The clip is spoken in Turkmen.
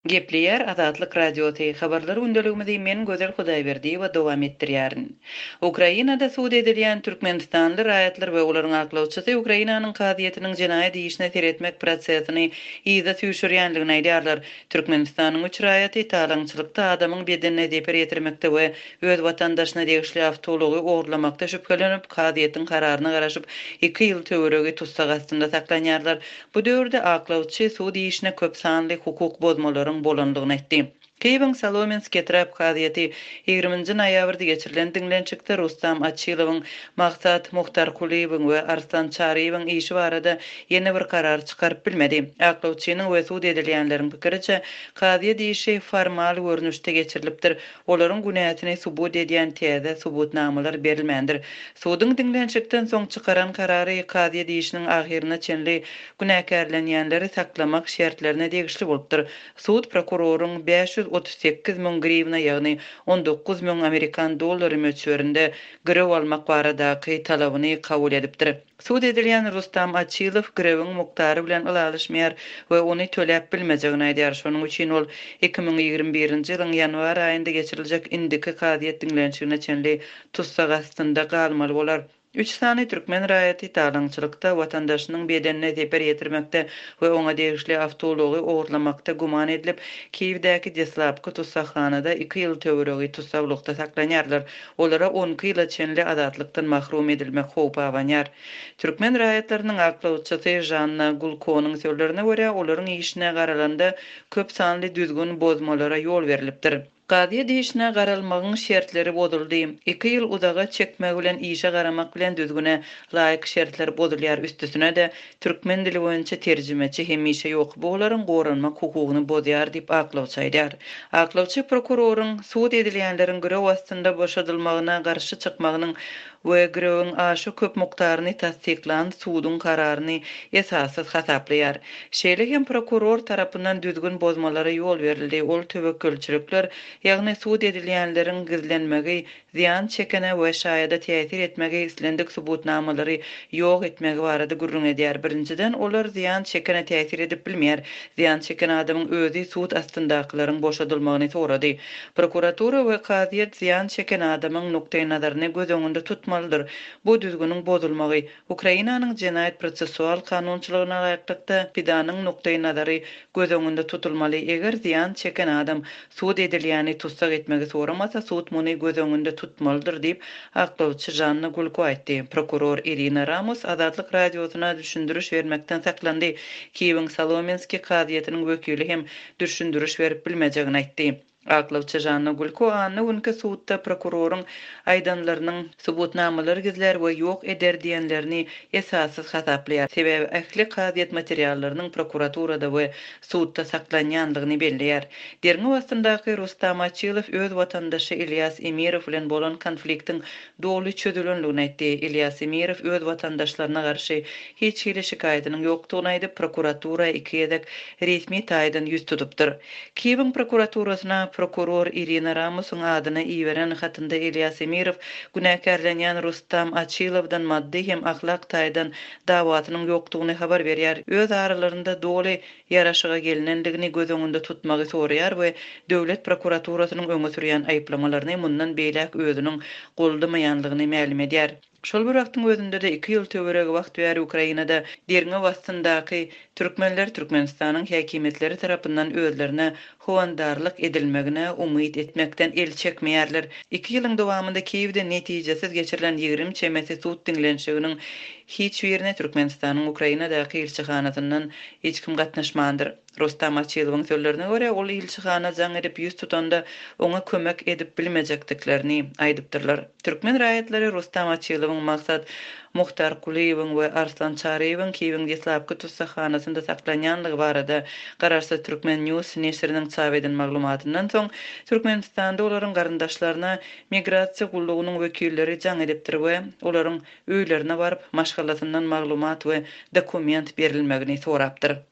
Gepleýär Azatlyk Radiosy, Habarlar gündeligimizi men Gözel Hudaýberdiýewa dowam etdirýärin. Ukrainada sud edilýän türkmenistanly raýatlar we olaryň aklawçysy Ukrainanyň kazyýetiniň jenaýat işine seretmek prosesini yza süýşürýändigini aýdýarlar. Türkmenistanyň üç raýaty talaňçylykda, adamyň bedenine zeper ýetirmekde we öz watandaşyna degişli awtoulagy ogurlamakda şübhelenip, kazyýetiň kararyna garaşyp, iki ýyl töweregi tussag astynda saklanýarlar. Bu döwürde aklawçy sud işine köp sanly hukuk bozmalaryň bolandygyny aýtdy. Kiýewiň Solomenskiý etrap kazyýeti ýigriminji noýabrda geçirilen diňlenişikde Rustam Açilowyň, Maksat Muhtarkulyýewiň we Arslan Çaryýewiň işi barada ýene bir karar çykaryp bilmedi. Aklawçynyň we sud edilýänleriň pikiriçe, kazyýet işi formal görnüşde geçirilipdir, olaryň günäsini subut edýän täze subutnamalar berilmändir. Suduň diňlenişikden soň çykaran karary kazyýet işiniň ahyryna çenli günäkärlenýänleri saklamak şertlerine degişli bolupdyr. Sud prokuroryň 538 müň griwna, ýagny 19 müň amerikan dollary möçberinde girew almak baradaky talabyny kabul edipdir. Sud edilýän Rustam Açilow girewiň mukdary bilen ylalaşmaýar we ony töläp bilmejegini aýdýar. Şonuň üçin ol 2021-nji ýylyň ýanwar aýynda geçiriljek indiki kazyýet diňlenişigine çenli tussag astynda galmaly bolar. Üç sany türkmen raýaty talaňçylykda, watandaşynyň bedenine zeper ýetirmekde we oňa degişli awtoulagy ogurlamakda güman edilip, Kiýewdäki deslapky tussaghanada iki ýyl töweregi tussaglykda saklanýarlar. Olara 12 ýyla çenli azatlykdan mahrum edilmek howpy abanýar. Türkmen raýatlarynyň aklawçysy Žanna Gulkonyň sözlerine görä, olaryň işine garalanda köp sanly düzgün bozmalara ýol berlipdir. Kazyýet işine garalmagyň şertleri bozuldy. Iki ýyl uzaga çekmegi bilen işe garamak bilen düzgüne laýyk şertler bozulýar, üstesine-de, türkmen dili boýunça terjimeçi hemişe ýok, bu olaryň goranmak hukugyny bozýar diýip, aklawçy aýdýar. Aklawçy prokuroryň sud edilýänleriň girew astynda boşadylmagyna garşy çykmagynyň we girewiň aşa köp mukdaryny tassyklan suduň kararyny esassyz hasaplaýar. Şeýle hem prokuror tarapyndan düzgün bozmalara ýol berildi, ol töwekgelçilikler, ýagny sud edilýänleriň gizlenmegi, zyýan çekene we şaýada täsir etmegi, islendik subutnamalary ýok etmegi barada gürrüň edýär. Birinjiden, olar zyýan çekene täsir edip bilmeýär. Zyýan çeken adamyň özi sud astyndakylaryň boşadylmagyny sorady. Prokuratura we kazyýet zyýan çeken adamyň nukdaýnazaryny göz öňünde tutmalydyr. Bu düzgüniň bozulmagy, Ukrainanyň jenaýat-prosessual kanunçylygyna laýyklykda, pidanyň nukdaýnazary göz öňünde tutulmaly, eger zyýan çeken adam sud edilýäni tussag etmegi soramasa, sud muny göz öňünde tutmalydyr diýip, aklawçy Žanna Gulko aýtdy. Prokuror Irina Ramos Azatlyk Radiosyna düşündiriş bermekden saklandy. Kiýewiň Solomenskiý kazyýetiniň wekili hem düşündiriş berip bilmejegini aýtdy. Aklawçy Žanna Gulko anna günki sudda prokuroryň aýdanlarynyň subutnamalary gizlär we ýok eder diýenlerini esassyz hasaplaýar, sebäbi ähli kazyýet materiallarynyň prokuraturada we sudda saklanýandygyny belleýär. Derňew astyndaky Rustam Açilow öz watandaşy Ilýas Emirow bilen bolan konfliktiň doly çözülendigini aýtdy. Ilýas Emirow öz watandaşlaryna garşy hiç hili şikaýatynyň ýokdugyny aýdyp, prokuratura iki gezek resmi taýdan ýüz tutupdyr. Kiýewiň prokuraturasyna prokuror Irina Ramusyň adyna iberen hatynda Ilýas Emirow günäkärlenýän Rustam Açilowdan maddy hem ahlak taýdan dawasynyň ýokdugyny habar berýär, öz aralarynda doly ýaraşyga gelnendigini göz öňünde tutmagy soraýar we döwlet prokuraturasynyň öňe sürýän aýyplamalaryny mundan beýläk özüniň goldamaýanlygyny mälim edýär. Şol bir wagtyň özünde-de iki ýyl töweregi wagt bäri Ukrainada derňew astyndaky türkmenler Türkmenistanyň häkimiýetleri tarapyndan özlerine howandarlyk edilmegine umyt etmekden el çekmeýärler. Iki ýylyň dowamynda Kiýewde netijesiz geçirilen 20 çemesi sud diňlenişiginiň hiç birine Türkmenistanyň Ukrainadaky ilçihanasyndan hiç kim gatnaşmandyr. Rustam Açilowyň sözlerine görä, ol ilçihana jaň edip ýüz tutanda, oňa kömek edip bilmejekdiklerini aýdypdyrlar. Türkmen raýatlary Rustam Açilowyň, Maksat Muhtarkulyýewiň we Arslan Çaryýewiň Kiýewiň deslapky tussaghanasynda saklanýandygy barada garaşsyz Turkmen. News neşiriniň çap eden maglumatyndan soň, Türkmenistanda olaryň garyndaşlaryna migrasiýa gullugynyň wekilleri jaň edipdir we olaryň öýlerine baryp, maşgalasyndan maglumat we dokument berilmegini sorapdyr.